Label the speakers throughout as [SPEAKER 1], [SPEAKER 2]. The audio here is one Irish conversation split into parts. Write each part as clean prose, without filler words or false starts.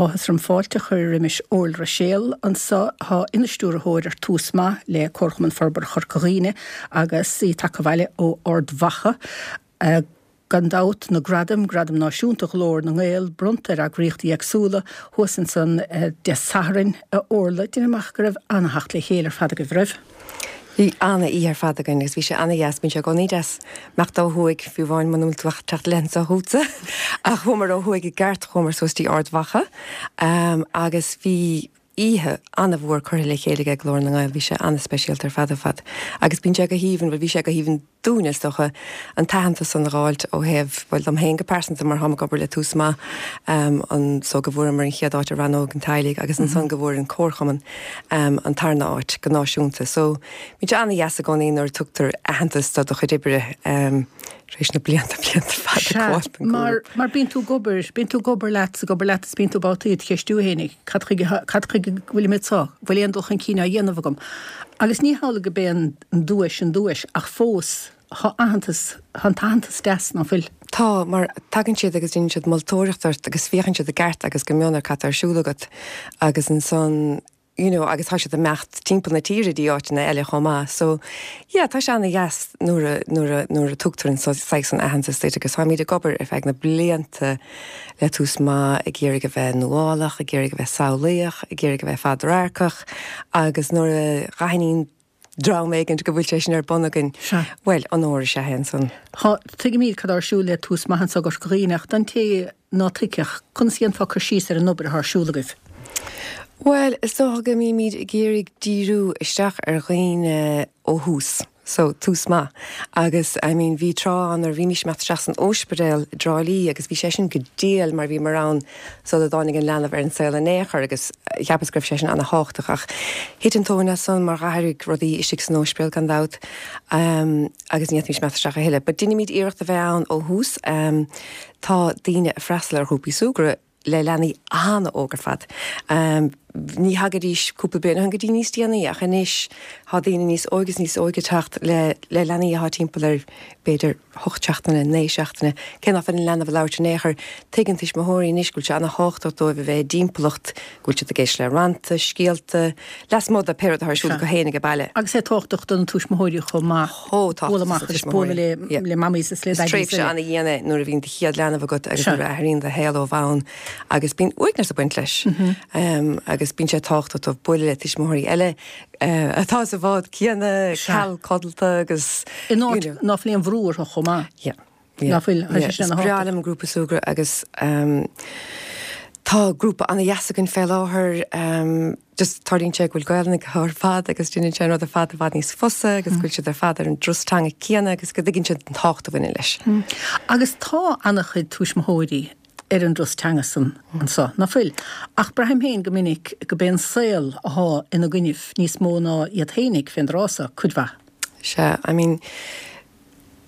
[SPEAKER 1] áthas orm fáilte a chur roimis Órla Ruiséal anso atá ina stiúrthóir ar Tús Maith le Comharchumann Forbartha Chorca Dhuibhne agus í tagtha abhaile ó Ard Mhacha. Gan dabht, na gradaim, Gradam Náisiúnta Ghlór na nGael, bronnta ar eagraíochtaí éagsúla thuas ansan Dé Sathairn, a Órla, déanaim amach go raibh ana-theacht le chéile ar fad agaibh, raibh?
[SPEAKER 2] Bhí ana-oíche ar fad againn agus bhí sé ana-dheas, bíonn sé i gcónaí deas imeacht ó thuaidh, fiú amháin muna bhfuil tú ach teacht i leith anso chugatsa. Ach chuamar ó thuaidh i gceart, chuamar suas dtí Ard Mhacha agus bhí oíche ana-mhór curtha le chéile ag Glór na nGael, bhí sé ana-speisialta ar fad ar fad. Agus bíonn sé go haoibhinn, bhuel bhí sé go haoibhinn dúinne is dócha, an t-aitheantas san a dh'fháilt ó thaobh, bhuel dom féin go pearsanta mar táim ag obair le Tús Maith, an, so go bhfuaireamar an chéad áit i rannóg an teaghlaigh agus ansan go bhfuair an Comharchumann an tarna áit go náisiúnta. So bíonn sé an-dheas i gcónaí nuair a tugtar aitheantas do do chuid oibre tar éis na blianta, blianta fada
[SPEAKER 1] ag gabháil don Sea, mar, mar bíonn tú ag obair, bíonn tú ag obair leat 's ag obair leat is bíonn tú babhtaí ag ceistiú fhéinig, cad chuige, cad chuige go bhfuilim anseo, bhfuil aon dul chun cinn á dhéanamh agam? Agus ní hamhlaidh go b'é an duais an duais, ach fós, tá aitheantas, tá an t-aitheantas deas, ná fuil?
[SPEAKER 2] Tá, mar tagann siad agus déanann siad moltóireacht ort agus féachann siad i gceart agus go mion ar cad tá ar siúl agat agus ansan, you know, agus tá siad ag imeacht timpeall na tíre dtí áiteanna eile chomh maith. So, yeah, tá sé ana-dheas nuair a, nuair a, nuair a tugtar an saghas san aitheantas duit agus táimid ag obair ar feadh na blianta le Tús Maith ag iarraidh a bheith nuálach, ag iarraidh a bheith samhlaíoch, ag iarraidh a bheith fadradharcach agus nuair a dh'aithníonn dream éigint go bhfuil sé sin ar bun againn.
[SPEAKER 1] Sea.
[SPEAKER 2] Bhuel, onóir is ea é ansan.
[SPEAKER 1] Tá, tuigimid cad tá ar siúl le Tús Maith anso i gCorca Dhuibhne ach don té ná tuigfeadh, conas a dhéanfá cur síos ar an obair atá ar siúl agaibh?
[SPEAKER 2] Bhuel, is dócha go mbímid ag iarraidh díriú isteach ar dhaoine ó thús. So, tús maith. Agus, I mean, bhí tráth ann nuair a bhímís ag imeacht isteach san óispidéal i dTrá Lí agus bhí sé sin go diail mar bhíomar ann sula dtáinig an leanbh ar an saol in aon chor agus cheapas go raibh sé sin ana-thábhachtach ach thit an tóin as san mar dh'athraigh rudaí istigh san óispidéal gan dabht agus ní fhéadfaimis imeacht isteach a thuilleadh. But deinimid iarracht a bheith ann ó thús. Tá daoine ag freastal ar ghrúpaí súgradh le leanaí an-óg ar fad. Ní thagaidís cúpla bliain ó shin go dtí níos déanaí ach anois tá daoine níos óige is níos óige ag teacht le le leanaí atá timpeall ar b'fhéidir 8 seachtaine, 9 seachtaine. Cé ná fuil an leanbh ag labhairt in aon chor, tuigeann tuismitheoirí anois go bhfuil sé ana-thábhachtach dóibh a bheith i dtimpeallacht go bhfuil siad ag éisteacht le rannta, scéalta, lasmuigh de pé rud atá ar siúl acu féin ag baile.
[SPEAKER 1] Agus é tábhachtach do na tuismitheoirí chomh maith bualadh amach agus bualadh le le mamaís is le
[SPEAKER 2] daidís. Is tréimhse ana-dhian é nuair a bhíonn do chéad leanbh agat agus nuair a athraíonn do shaol ó bhonn agus bíonn uaigneas ag baint leis. Agus bíonn sé tábhachtach dóibh bualadh le tuismitheoirí eile atá sa bhád céanna, ceal codlata agus.
[SPEAKER 1] In áit ná fuil aon bhrú orthu chomh maith.
[SPEAKER 2] Yeah. Ná fuil, tá sé sin ana-thábhachtach. Is breá liom an grúpa súgradh agus tá grúpa ana-dheas againn fé láthair. Just tarlaíonn sé go bhfuil Gaelainn acu ar fad agus déanann sé an rud ar fad i bhfad níos fusa agus go bhfuil siad ar fad ar an dturas teanga céanna agus go dtuigeann siad an tábhacht a bhaineann leis.
[SPEAKER 1] Agus tá ana-chuid tuismitheoirí ar an dturas teanga san anso, ná fuil? Ach braithim féin go minic go b'é an saol athá ina gcoinnibh níos mó ná iad fhéinig fén dtráth so, cuid mhaith.
[SPEAKER 2] Sea, I mean,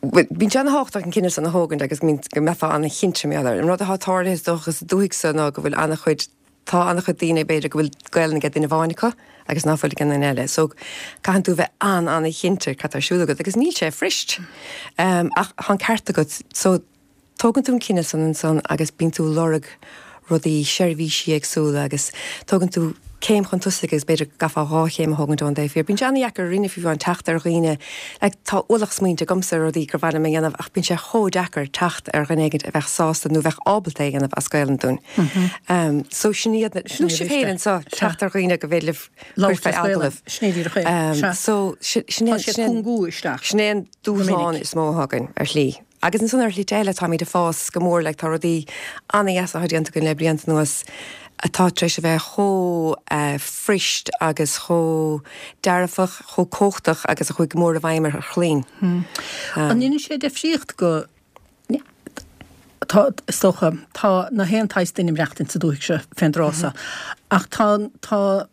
[SPEAKER 2] bíonn sé ana-thábhachtach an cinneadh san a thógaint agus go mbeifeá ana-chinnte mar gheall air. An rud atá tarlaithe is dócha sa dúthaigh so ná go bhfuil ana-chuid, tá ana-chuid daoine b'fhéidir go bhfuil Gaelainn ag duine amháin acu agus ná fuil ag an duine eile. So caitheann tú a bheith an-an-chinnte cad tá ar siúl agat agus níl sé fuirist. Ach tá an ceart agat. So Tógann tú an cinneadh san ansan agus bíonn tú ag lorg rudaí, seirbhísí éagsúla agus tógann tú céim chun tosaigh agus b'fhéidir go gcaithfeá dhá chéim a thógaint ón dtaobh thiar. Bíonn sé an-dheacair ar dhaoine fiú amháin teacht ar dhaoine, like tá ualach smaointe agamsa ar rudaí gur mhaith liom a dhéanamh ach bíonn sé chomh deacair teacht ar dhuine éigin a bheadh sásta nó a bheadh ábalta é a dhéanamh as Gaelainn dúinn. So sin iad na, nó sibh féin anso, teacht ar dhaoine go bhféidir libh cur
[SPEAKER 1] fé agallamh. Sin é díreach é. Sea.
[SPEAKER 2] So sin é,
[SPEAKER 1] Tá siad cúngú isteach.
[SPEAKER 2] sin é an dúshlán is mó atá againn ar shlí. Agus ansan ar shlite eile táimid ag fás go mór like tá rudaí ana-dheasa atá déanta againn le blianta anuas atá tar éis a bheith chomh fuirist agus chomh dearfach, chomh cumhachtach agus a chuaigh go mór i bhfeidhm ar chlainn.
[SPEAKER 1] An ndéanann sé deifríocht go, tá, is dócha, tá na haon tsaghas duine ag maireachtaint sa dúthaigh seo fén dtráth so ach tá, tá,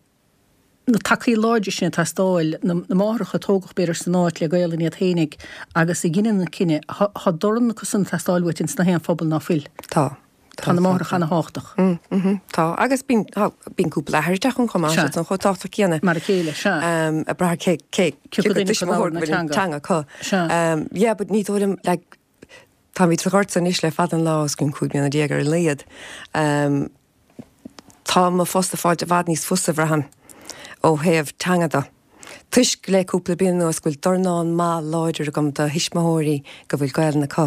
[SPEAKER 1] na tacaí láidre sin ag teastáil, na máithreacha a tógadh b'fhéidir san áit le Gaolainn iad fhéinig agus a dheineann an cinneadh, tá dorn acu san ag teastáil uait ins na haon phobal ná fuil.
[SPEAKER 2] Tá.
[SPEAKER 1] Tá na máithreacha ana-thábhachtach.
[SPEAKER 2] Mm, tá. Agus bíonn, tá, bíonn cúpla athair ag teacht ann chomh maith, siad san chomh tábhachtach céanna.
[SPEAKER 1] Mar a chéile, sea.
[SPEAKER 2] Ag brath cé, cé, cé acu tuismitheoir go bhfuil an teanga acu.
[SPEAKER 1] Sea.
[SPEAKER 2] Yeah, but ní dóigh liom, like, táimid sa ghort anois le fada an lá, os cionn 15 mbliana ar a laghad. Tá mo phost ag fáilt i bhfad níos fusa, bhraithim, ó thaobh teanga de. Toisc le cúpla bliain anuas go bhfuil dornán maith láidir agam de thuismitheoirí go bhfuil Gaelainn acu.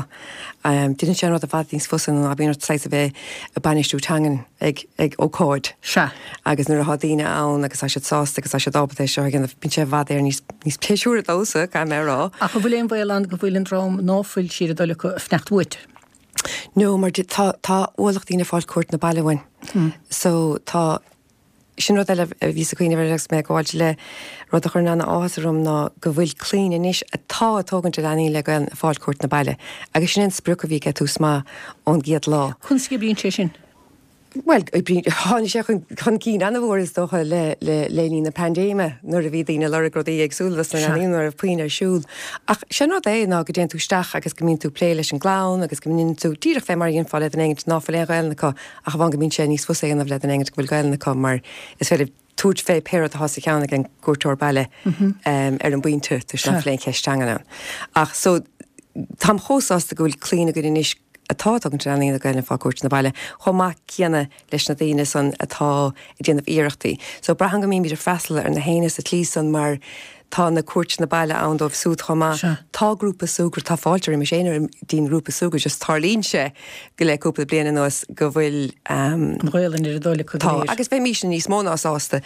[SPEAKER 2] Déanann sé an rud i bhfad níos fusa ná bíonn ort saghas a bheith ag bainistiú teangan ag ag ócáid.
[SPEAKER 1] Sea.
[SPEAKER 2] Agus nuair atá daoine ann agus tá siad sásta agus tá siad ábalta é seo a dhéanamh, bíonn sé i bhfad Éireann níos níos pléisiúra domhsa, caithfidh mé a rá.
[SPEAKER 1] Ach an bhfuil aon bhaol ann go bhfuil an dream ná fuil siar ag dul acu ag fanacht uait?
[SPEAKER 2] No, mar tá tá ualach daoine ag fáil cuairt na baile uainn. So tá Sin rud eile a bhíos ag cuimhneamh air agus mé ag gabháilt le rud a chuireann ana-áthas orm ná go bhfuil clainn anois atá ag tógaint a leanaí le Gaelainn ag fáil cuairt na baile agus sin é an sprioc a bhí ag Tús Maith ón gcéad lá.
[SPEAKER 1] Conas a oibríonn sé sin?
[SPEAKER 2] Bhuel, oibríonn, tháinig sé chun cinn ana-mhór is dócha le le le linn na paindéime nuair a bhí daoine ag lorg rudaí éagsúla dos na leanaí nuair a raibh puinn ar siúl. Ach sé an rud é ná go dtéann tú isteach agus go mbíonn tú ag plé leis an gclann agus go mbíonn tú díreach fé mar a dhéanfá le duine éigint ná fuil aon Ghaelainn acu Ach amháin go mbíonn sé níos fusa a dhéanamh le duine éigint go bhfuil Gaelainn acu mar is féidir tabhairt fé pé rud atá sa cheann ag an gcuairteoir baile ar an bpointe toisc nach bhfuil aon cheist teangan ann. Ach so táim chomh sásta go bhfuil clainn againn anois atá ag tógaint a leanaí le Gaelainn ag fáil cuairt na baile chomh maith céanna leis na daoine san atá ag déanamh iarrachtaí. So braithim go mbímid ag freastal ar na héinne sa tslí san mar Tá na cuairteanna baile ann dóibh súd chomh maith. Tá grúpa súgartha, tá fáilte roimis éinne dtí'n ngrúpa súgartha, just tarlaíonn sé go le cúpla bliain anuas go bhfuil.
[SPEAKER 1] An Ghaelainn ar a dtoil acu go
[SPEAKER 2] léir. Tá, agus bheimísne níos mó ná sásta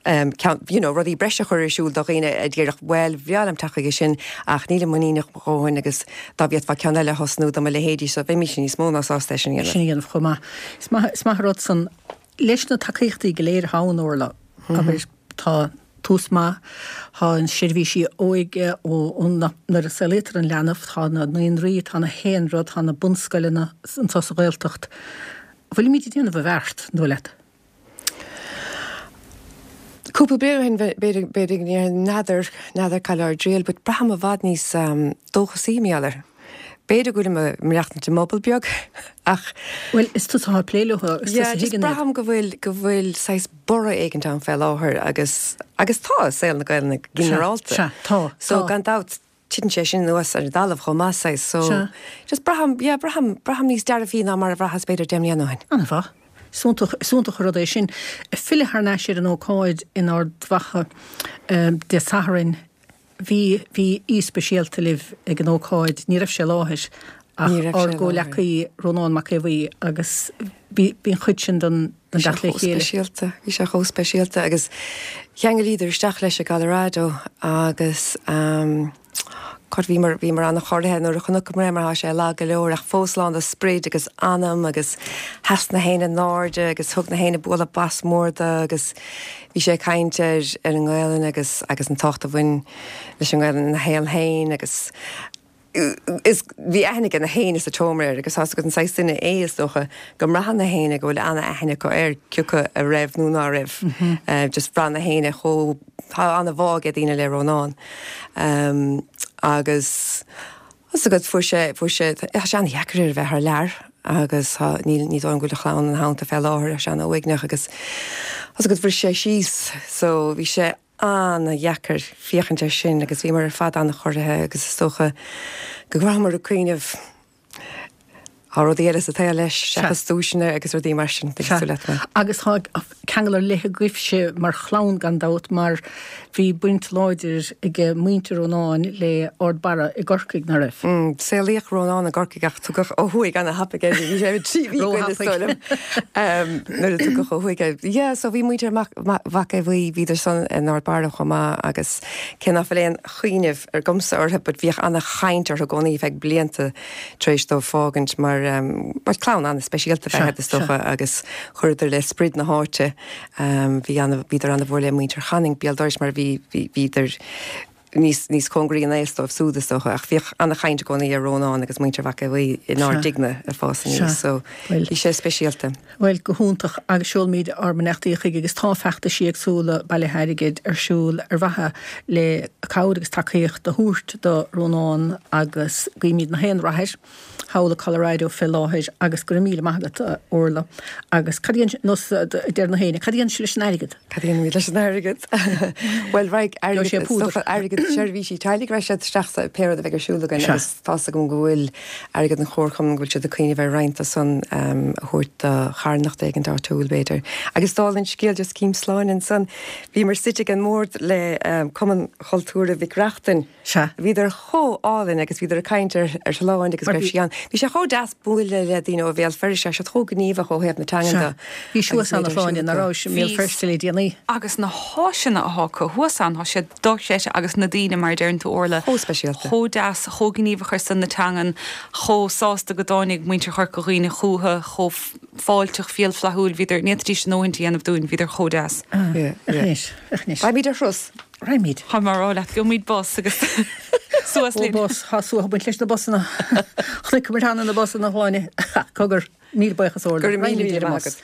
[SPEAKER 2] ceann, you know, rudaí breise a chur ar siúl do dhaoine a déarfadh bhuel, bhreá liom teacht chuige sin ach nílim muiníneach mo dhóthain agus dá bhféadfá ceann eile a thosnú do mo leithéidí so bheimísne níos mó ná sásta é sin a
[SPEAKER 1] dhéanamh. Sin a dhéanamh chomh maith. Is maith, is maith an rud san. Leis na tacaíochtaí go léir atá ann, Orla, abair, tá Tús Maith, tá an seirbhísí óige ó nuair a saolaítear an leanbh, tá na naíonraí, tá na haon rud, tá na bunscoileanna anseo sa Ghaeltacht. Bhfuilimid ag déanamh i bhfeart, an dóigh leat?
[SPEAKER 2] Cúpla bliain ó shin, b'fhéidir, b'fhéidir go ndéarfainn n'fheadar, n'fheadar cá bhfuil ár dtriall, but braithim i bhfad níos dóchasaí mar gheall air. B'fhéidir go bhfuilim ag maireachtaint i mbubble beag ach.
[SPEAKER 1] Bhuel, is tusa atá ag plé leo, is
[SPEAKER 2] tusa a thuigeann iad. Braithim go bhfuil, go bhfuil saghas borradh éigint ann fé láthair agus, agus tá i saol na Gaelainne go ginearálta.
[SPEAKER 1] Sea, tá,
[SPEAKER 2] So gan dabht titeann sé sin anuas ar an dtalamh chomh maith saghas. So Sea. just braithim, yeah, braithim, braithim níos dearfaí ná mar a bhraitheas b'fhéidir 10 mbliana ó shin.
[SPEAKER 1] An-mhaith. Is iontach, is iontach an rud é sin. Filleadh thar n-ais ar an ócáid in Ard Mhacha Dé Sathairn. Bhí, bhí aoi speisialta libh ag an ócáid, ní raibh sé i láthair ach
[SPEAKER 2] Ní raibh
[SPEAKER 1] ár
[SPEAKER 2] sé i láthair.
[SPEAKER 1] gcomhleacaí Rónán Mac Aodha Bhuí agus bhí, bhí an chuid sin den, den
[SPEAKER 2] Bhí sé
[SPEAKER 1] dteacht le
[SPEAKER 2] chomh
[SPEAKER 1] chéile.
[SPEAKER 2] speisialta, bhí sé chomh speisialta agus cheangailíodar isteach leis i gColorado agus ehm God bhíomar, bhíomar an-chorraithe nuair a chonaiceamar é mar tá sé lag go leor ach fós lán de sprid agus anam agus sheas na héinne in airde agus thug na héinne bualadh bos mór do agus Bhí sé ag caint ar ar an nGaelainn agus agus an tábhacht a bhain leis an nGaelainn ina shaol féin agus is bhí aithne ag na héinne sa tseomra air agus tá's agat an saghas duine é is dócha go mbraitheann na héinne go bhfuil ana-aithne acu air cioca a raibh nó ná raibh. Just bhraith na héinne chomh tá ana-bhá ag daoine le Rónán agus Tá's agat, fuair sé, fuair sé, tá sé an-dheacair air a bheith thar lear agus tá, níl, ní dóigh liom go bhfuil a chlann ina theannta fé láthair, tá sé an-uaigneach agus tá's agat, bhris sé síos so bhí sé an-dheacair féachaint air sin agus bhíomar ar fad an-chorraithe agus is dócha go rabhamar ag cuimhneamh Tá rudaí eile sa tsaol leis, seachas duaiseanna agus rudaí mar sin,
[SPEAKER 1] tuigeann tú leat mé. Agus tá ceangal ar leith agaibhse mar chlann gan dabht mar bhí baint láidir ag muintir Rónáin le Ard Barra i gCorcaigh, nach raibh?
[SPEAKER 2] Saolaíodh Rónán i gCorcaigh ach tugadh ó thuaidh ana-thapaidh é, bhí sé 3 mhí is dóigh liom nuair a tugadh ó thuaidh é. Yeah, so bhí muintir Mhac Aodha Bhuí, bhíodar san in Ard Barra chomh maith agus cé ná fuil aon chuimhneamh agamsa orthu but bhíodh ana-chaint orthu i gcónaí feadh blianta tar éis dóibh fágaint mar, bhuel, clann an-speisialta ab ea iad is dócha agus chuireadar le sprid na háite. Bhí ana, bhíodar ana-mhór le muintir Chanainn béal dorais mar bhí, bhí, bhíodar níos, níos cóngaraí in aos dóibh súd is dócha ach bhíodh ana-chaint i gcónaí ar Rónán agus muintir Mhac Aodha Bhuí inár dtighne ag fás aníos so bhí sé speisialta.
[SPEAKER 1] Bhuel, go hiontach agus seolaimid ár mbeannachtaí chuige agus tá feachtaisí éagsúla bailithe airgid ar siúl ar mhaithe le cabhair agus tacaíocht a thabhairt do Rónán agus guímid na haon rath air thall i Colorado fé láthair agus go raibh míle maith agat a Orla agus cad a dhéanann, nós a deir na héinne, cad a dhéanann sibh leis an airgead?
[SPEAKER 2] Cad a dhéanaimid leis an airgead? Bhuel, raghaidh airgead, is dócha airgead. seirbhísí teaghlaigh, rachaidh siad isteach sa pé rud a bheidh ar siúl againn agus tá's agam go bhfuil airgead an Chomharchumainn, go bhfuil siad ag cuimhneamh ar roinnt de san a thabhairt do charthanacht éigint áitiúil b'fhéidir. Agus dála an scéil just céim sláin ansan, bhíomar suite ag an mbord le Cumann Chultúrtha Mhic Reachtain.
[SPEAKER 1] Sea.
[SPEAKER 2] Bhíodar chomh álainn agus bhíodar ag caint ar ar Shláine agus go raibh sí ann. Bhí sé chomh deas bualadh le daoine ó Bhéal Feirste, tá siad chomh gníomhach ó thaobh na teangan
[SPEAKER 1] de. Sea. Bhís thuas ann a Shláine, nach rabhais i mBéal Feirste le déanaí?
[SPEAKER 3] Agus na háiseanna athá acu thuas ann, tá siad dochreidte agus na daoine, mar a deireann tú Orla,
[SPEAKER 2] Chomh speisialta.
[SPEAKER 3] chomh deas, chomh gníomhach ar son na teangan, chomh sásta go dtáinig muintir Chorca Dhuibhne chúthu, chomh fáilteach, fial flaithiúil, bhíodar, ní fhéadfaidís a ndóthaint a dhéanamh dúinn, bhíodar chomh deas.
[SPEAKER 2] Yeah, yeah.
[SPEAKER 1] Anois, anois.
[SPEAKER 2] Raghaimid ar thuras.
[SPEAKER 1] Raghaimid.
[SPEAKER 3] Tá mé ag rá leat, gheobhaimid bus agus suas linn.
[SPEAKER 1] Ó bus, tá suathadh ag baint leis na busanna. Chonaiceamar cheana na busanna, a Shláine. Cogar, míle buíochas Orla.
[SPEAKER 2] Go raibh míle míle maith agat.